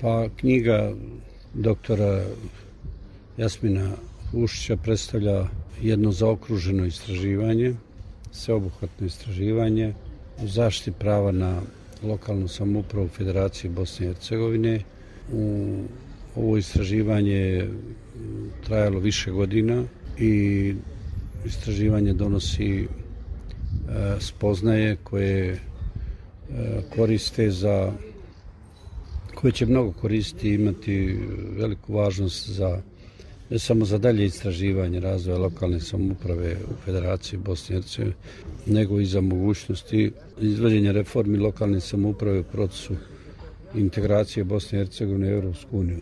Pa knjiga doktora Jasmina Ušića predstavlja jedno zaokruženo istraživanje, sveobuhvatno istraživanje u zaštiti prava na lokalnu samoupravu u Federaciji Bosne i Hercegovine. Ovo istraživanje je trajalo više godina i istraživanje donosi spoznaje koje koriste koje će mnogo koristiti i imati veliku važnost ne samo za dalje istraživanje razvoja lokalne samouprave u Federaciji Bosne i Hercegovine, nego i za mogućnosti izvođenja reformi lokalne samouprave u procesu integracije Bosne i Hercegovine u Europsku uniju.